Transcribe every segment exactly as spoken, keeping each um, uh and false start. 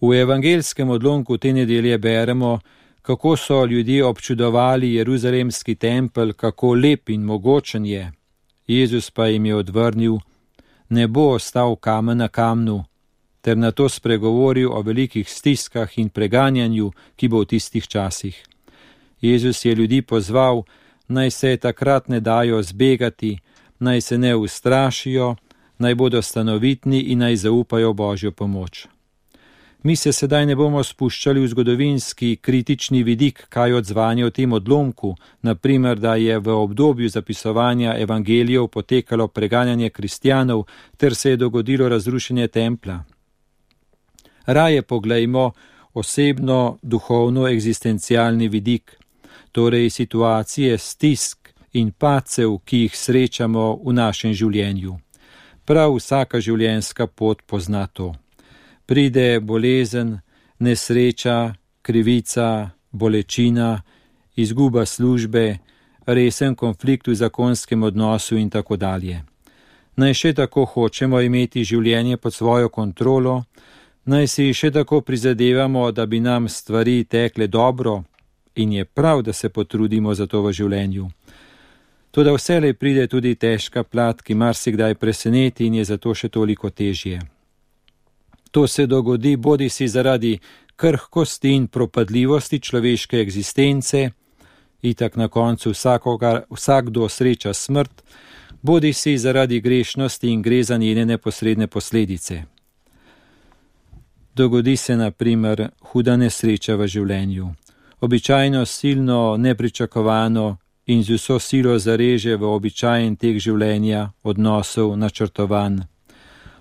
V evangelskem odlomku te nedelje beremo, kako so ljudje občudovali jeruzalemski tempelj, kako lep in mogočen je. Jezus pa jim je odvrnil: ne bo ostal kamen na kamnu, ter na to spregovoril o velikih stiskah in preganjanju, ki bo v tistih časih. Jezus je ljudi pozval, naj se takrat ne dajo zbegati, naj se ne ustrašijo, naj bodo stanovitni in naj zaupajo Božjo pomoč. Mi se sedaj ne bomo spuščali v zgodovinski kritični vidik, kaj odzvanje o tem odlomku, naprimer, da je v obdobju zapisovanja evangelijev potekalo preganjanje kristjanov ter se je dogodilo razrušenje templja. Raje poglejmo osebno, duhovno, egzistencialni vidik, torej situacije stisk in padcev, ki jih srečamo v našem življenju. Prav vsaka življenjska pot pozna to. Pride bolezen, nesreča, krivica, bolečina, izguba službe, resen konflikt v zakonskem odnosu in tako dalje. Naj še tako hočemo imeti življenje pod svojo kontrolo, naj si še tako prizadevamo, da bi nam stvari tekle dobro, in je prav, da se potrudimo za to v življenju. Toda vselej pride tudi težka plat, ki marsikdaj preseneti in je zato še toliko težje. To se dogodi bodi si zaradi krhkosti in propadljivosti človeške egzistence, itak na koncu vsakogar, vsakdo sreča smrt, bodi si zaradi grešnosti in gre za njene neposredne posledice. Dogodi se na primer huda nesreča v življenju, običajno silno nepričakovano in z vso silo zareže v običajen tek življenja, odnosov, načrtovan.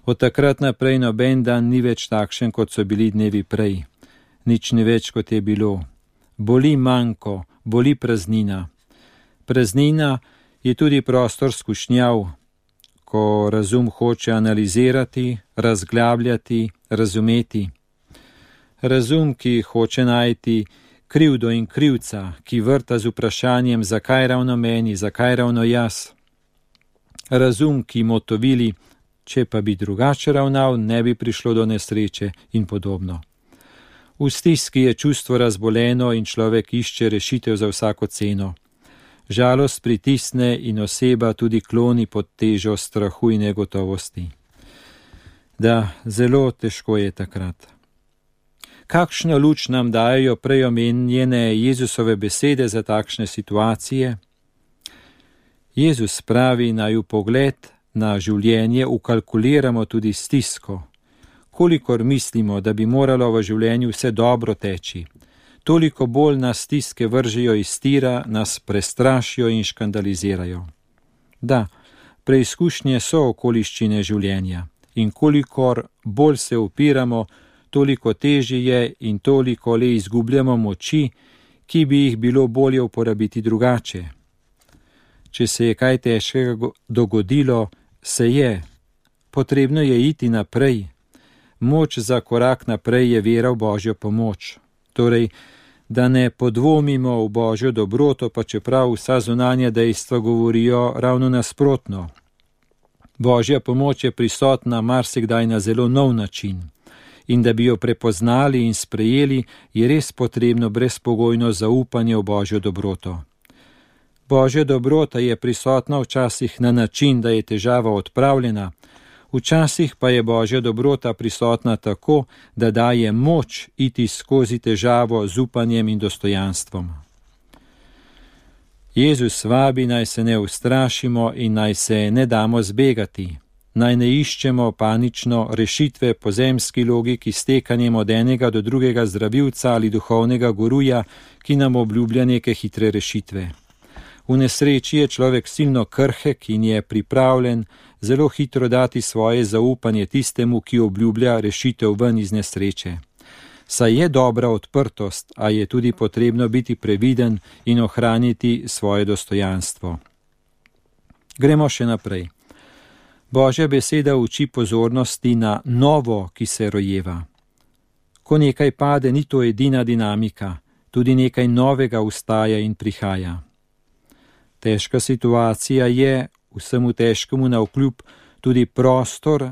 Od takrat naprej noben dan ni več takšen, kot so bili dnevi prej. Nič ni več, kot je bilo. Boli manko, boli praznina. Praznina je tudi prostor skušnjav, ko razum hoče analizirati, razglabljati, razumeti. Razum, ki hoče najti krivdo in krivca, ki vrta z vprašanjem, zakaj ravno meni, zakaj ravno jaz. Razum, ki motovili, če pa bi drugače ravnal, ne bi prišlo do nesreče in podobno. V stiski je čustvo razboleno in človek išče rešitev za vsako ceno. Žalost pritisne in oseba tudi kloni pod težo strahu in negotovosti. Da, zelo težko je takrat. Kakšno luč nam dajo prej omenjene Jezusove besede za takšne situacije? Jezus pravi, naj v pogled na življenje ukalkuliramo tudi stisko. Kolikor mislimo, da bi moralo v življenju vse dobro teči, toliko bolj nas stiske vržejo iz tira, nas prestrašijo in škandalizirajo. Da, preizkušnje so okoliščine življenja in kolikor bolj se upiramo, toliko težje je in toliko le izgubljamo moči, ki bi jih bilo bolje uporabiti drugače. Če se je kaj težkega dogodilo, se je. Potrebno je iti naprej. Moč za korak naprej je vera v Božjo pomoč. Torej, da ne podvomimo v Božjo dobroto, pa čeprav vsa zunanja dejstva govorijo ravno nasprotno. Božja pomoč je prisotna marsikdaj na zelo nov način. In da bi jo prepoznali in sprejeli, je res potrebno brezpogojno zaupanje v Božjo dobroto. Božja dobrota je prisotna včasih na način, da je težava odpravljena, včasih pa je Božja dobrota prisotna tako, da daje moč iti skozi težavo z upanjem in dostojanstvom. Jezus vabi, naj se ne ustrašimo in naj se ne damo zbegati, naj ne iščemo panično rešitve po zemski logiki s tekanjem od enega do drugega zdravilca ali duhovnega guruja, ki nam obljublja neke hitre rešitve. V nesreči je človek silno krhek in je pripravljen zelo hitro dati svoje zaupanje tistemu, ki obljublja rešitev ven iz nesreče. Saj je dobra odprtost, a je tudi potrebno biti previden in ohraniti svoje dostojanstvo. Gremo še naprej. Božja beseda uči pozornosti na novo, ki se rojeva. Ko nekaj pade, ni to edina dinamika, tudi nekaj novega vstaja in prihaja. Težka situacija je, vsemu težkemu navkljub, tudi prostor,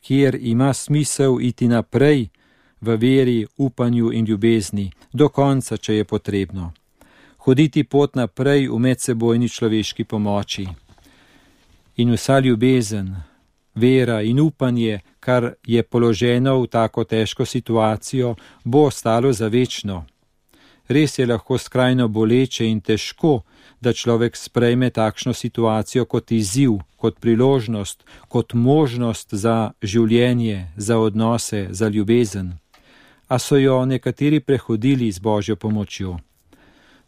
kjer ima smisel iti naprej, v veri, upanju in ljubezni, do konca, če je potrebno. Hoditi pot naprej v medsebojni človeški pomoči. In vsa ljubezen, vera in upanje, kar je položeno v tako težko situacijo, bo ostalo za večno. Res je lahko skrajno boleče in težko, da človek sprejme takšno situacijo kot izziv, kot priložnost, kot možnost za življenje, za odnose, za ljubezen. A so jo nekateri prehodili z Božjo pomočjo.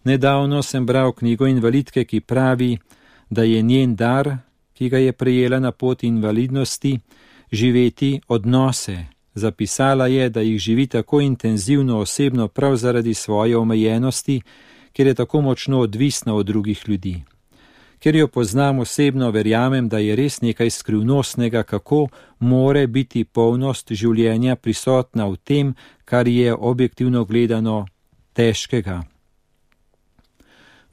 Nedavno sem bral knjigo invalidke, ki pravi, da je njen dar, ki ga je prejela na poti invalidnosti, živeti odnose. Zapisala je, da jih živi tako intenzivno osebno prav zaradi svoje omejenosti, ker je tako močno odvisna od drugih ljudi. Ker jo poznam osebno, verjamem, da je res nekaj skrivnostnega, kako more biti polnost življenja prisotna v tem, kar je objektivno gledano težkega.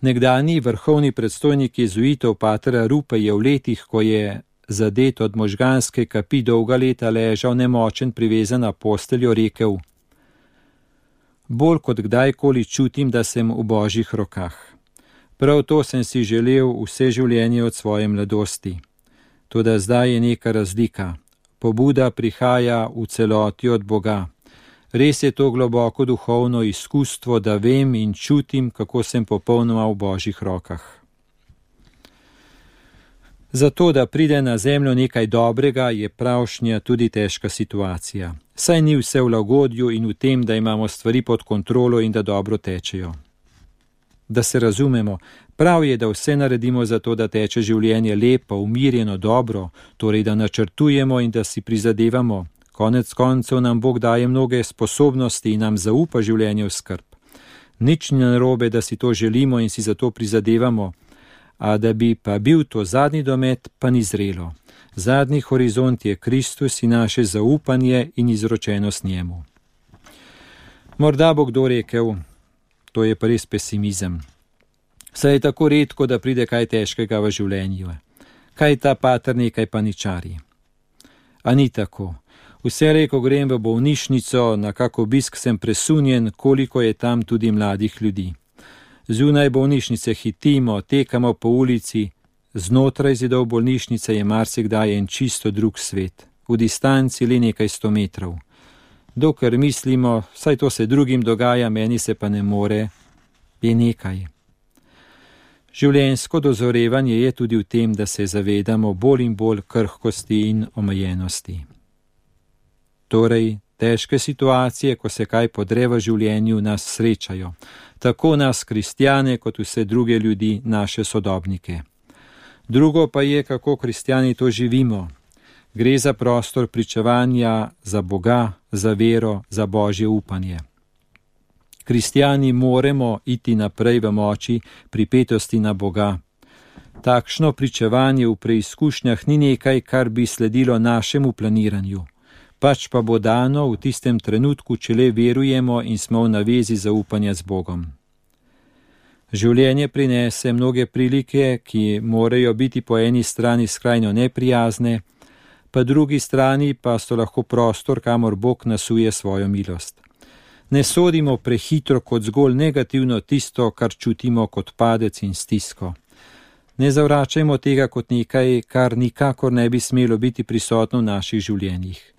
Nekdanji vrhovni predstojnik jezuitov pater Arupe je v letih, ko je zadet od možganske kapi, dolga leta ležal nemočen privezan na posteljo, rekel: Bolj kot kdajkoli čutim, da sem v Božjih rokah. Prav to sem si želel vse življenje od svoje mladosti. Toda zdaj je neka razlika. Pobuda prihaja v celoti od Boga. Res je to globoko duhovno izkustvo, da vem in čutim, kako sem popolnoma v Božjih rokah. Zato, da pride na zemljo nekaj dobrega, je pravšnja tudi težka situacija. Saj ni vse v lagodju in v tem, da imamo stvari pod kontrolo in da dobro tečejo. Da se razumemo, prav je, da vse naredimo za to, da teče življenje lepo, umirjeno, dobro, torej da načrtujemo in da si prizadevamo. Konec koncev nam Bog daje mnoge sposobnosti in nam zaupa življenje v skrb. Nič ni narobe, da si to želimo in si za to prizadevamo, a da bi pa bil to zadnji domet, pa ni zrelo. Zadnji horizont je Kristus in naše zaupanje in izročenost njemu. Morda bo kdo rekel, to je pa res pesimizem. Saj je tako redko, da pride kaj težkega v življenju. Kaj ta pater nekaj paničari? A ni tako. Vselej, ko grem v bolnišnico, na kak obisk sem presunjen, koliko je tam tudi mladih ljudi. Zunaj bolnišnice hitimo, tekamo po ulici, znotraj zidov bolnišnice je marsikdaj en čisto drug svet, v distanci le nekaj sto metrov. Dokler mislimo, saj to se drugim dogaja, meni se pa ne more, je nekaj. Življenjsko dozorevanje je tudi v tem, da se zavedamo bolj in bolj krhkosti in omejenosti. Torej, težke situacije, ko se kaj podre v življenju, nas srečajo. Tako nas, kristjane, kot vse druge ljudi, naše sodobnike. Drugo pa je, kako kristjani to živimo. Gre za prostor pričevanja za Boga, za vero, za Božje upanje. Kristjani moremo iti naprej v moči pripetosti na Boga. Takšno pričevanje v preizkušnjah ni nekaj, kar bi sledilo našemu planiranju. Pač pa bo dano v tistem trenutku, če le verujemo in smo v navezi zaupanja z Bogom. Življenje prinese mnoge prilike, ki morajo biti po eni strani skrajno neprijazne, pa drugi strani pa so lahko prostor, kamor Bog nasuje svojo milost. Ne sodimo prehitro kot zgolj negativno tisto, kar čutimo kot padec in stisko. Ne zavračajmo tega kot nekaj, kar nikakor ne bi smelo biti prisotno v naših življenjih.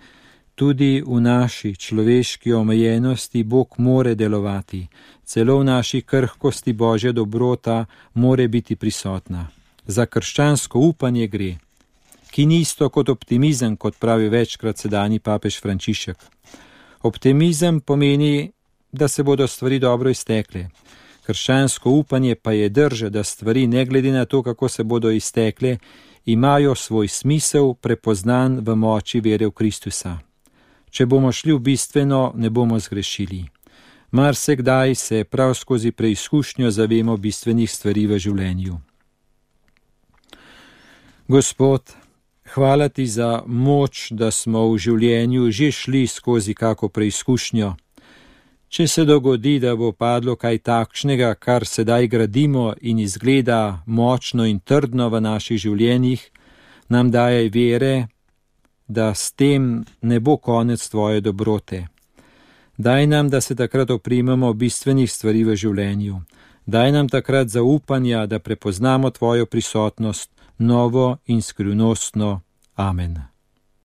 Tudi v naši človeški omejenosti Bog more delovati, celo v naši krhkosti Božja dobrota more biti prisotna. Za krščansko upanje gre, ki ni isto kot optimizem, kot pravi večkrat sedanji papež Frančišek. Optimizem pomeni, da se bodo stvari dobro iztekle. Krščansko upanje pa je drža, da stvari, ne glede na to, kako se bodo iztekle, imajo svoj smisel prepoznan v moči vere v Kristusa. Če bomo šli v bistveno, ne bomo zgrešili. Marsikdaj se prav skozi preizkušnjo zavemo bistvenih stvari v življenju. Gospod, hvala ti za moč, da smo v življenju že šli skozi kako preizkušnjo. Če se dogodi, da bo padlo kaj takšnega, kar sedaj gradimo in izgleda močno in trdno v naših življenjih, nam dajaj vere, da s tem ne bo konec tvoje dobrote. Daj nam, da se takrat oprimemo bistvenih stvari v življenju. Daj nam takrat zaupanja, da prepoznamo tvojo prisotnost, novo in skrivnostno. Amen.